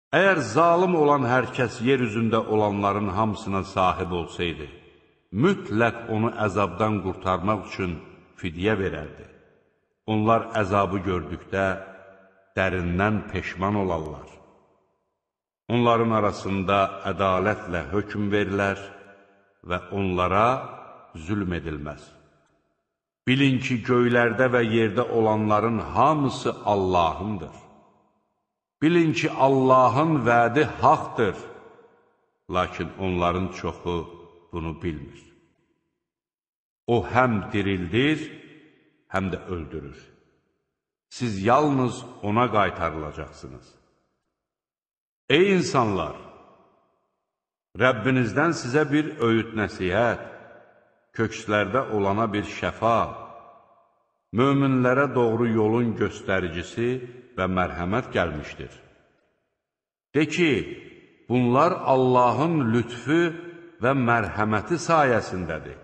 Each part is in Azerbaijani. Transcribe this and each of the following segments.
Əgər zalım olan hər kəs yer üzündə olanların hamısına sahib olsaydı, mütləq onu əzabdan qurtarmaq üçün fidyə verərdi. Onlar əzabı gördükdə dərindən peşman olarlar. Onların arasında ədalətlə hökm verilər və onlara zülm edilməz. Bilin ki, göylərdə və yerdə olanların hamısı Allahındır. Bilin ki, Allahın vədi haqdır, lakin onların çoxu bunu bilmir. O həm dirildir, həm də öldürür. Siz yalnız ona qaytarılacaqsınız. Ey insanlar! Rəbbinizdən sizə bir öyüd nəsihət, kökslərdə olana bir şəfa, möminlərə doğru yolun göstəricisi və mərhəmət gəlmişdir. De ki, bunlar Allahın lütfü və mərhəməti sayəsindədir.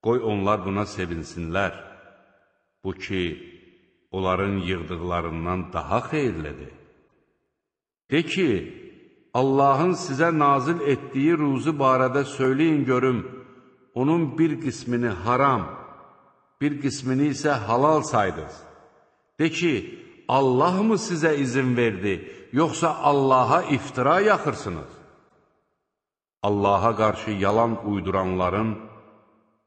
Qoy onlar buna sevinsinlər. Bu ki, onların yığdıqlarından daha xeyirlidir. De ki, Allahın sizə nazil etdiyi ruzu barədə söyləyin görüm, onun bir qismini haram, bir qismini isə halal saydınız. De ki, Allah mı sizə izin verdi, yoxsa Allaha iftira yaxırsınız? Allaha qarşı yalan uyduranların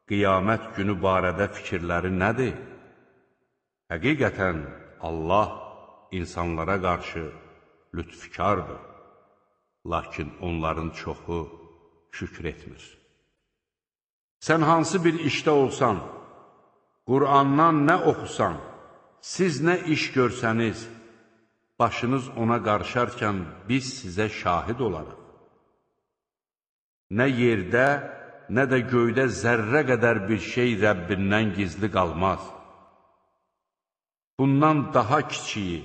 qiyamət günü barədə fikirləri nədir? Həqiqətən Allah insanlara qarşı lütfkardır, lakin onların çoxu şükr etmir. Sən hansı bir işdə olsan, Qur'andan nə oxusan, siz nə iş görsəniz, başınız ona qarışarkən biz sizə şahid olarıq. Nə yerdə, nə də göydə zərrə qədər bir şey Rəbbindən gizli qalmaz. Bundan daha kiçiyi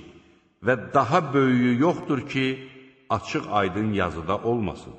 və daha böyüyü yoxdur ki, açıq aydın yazıda olmasın.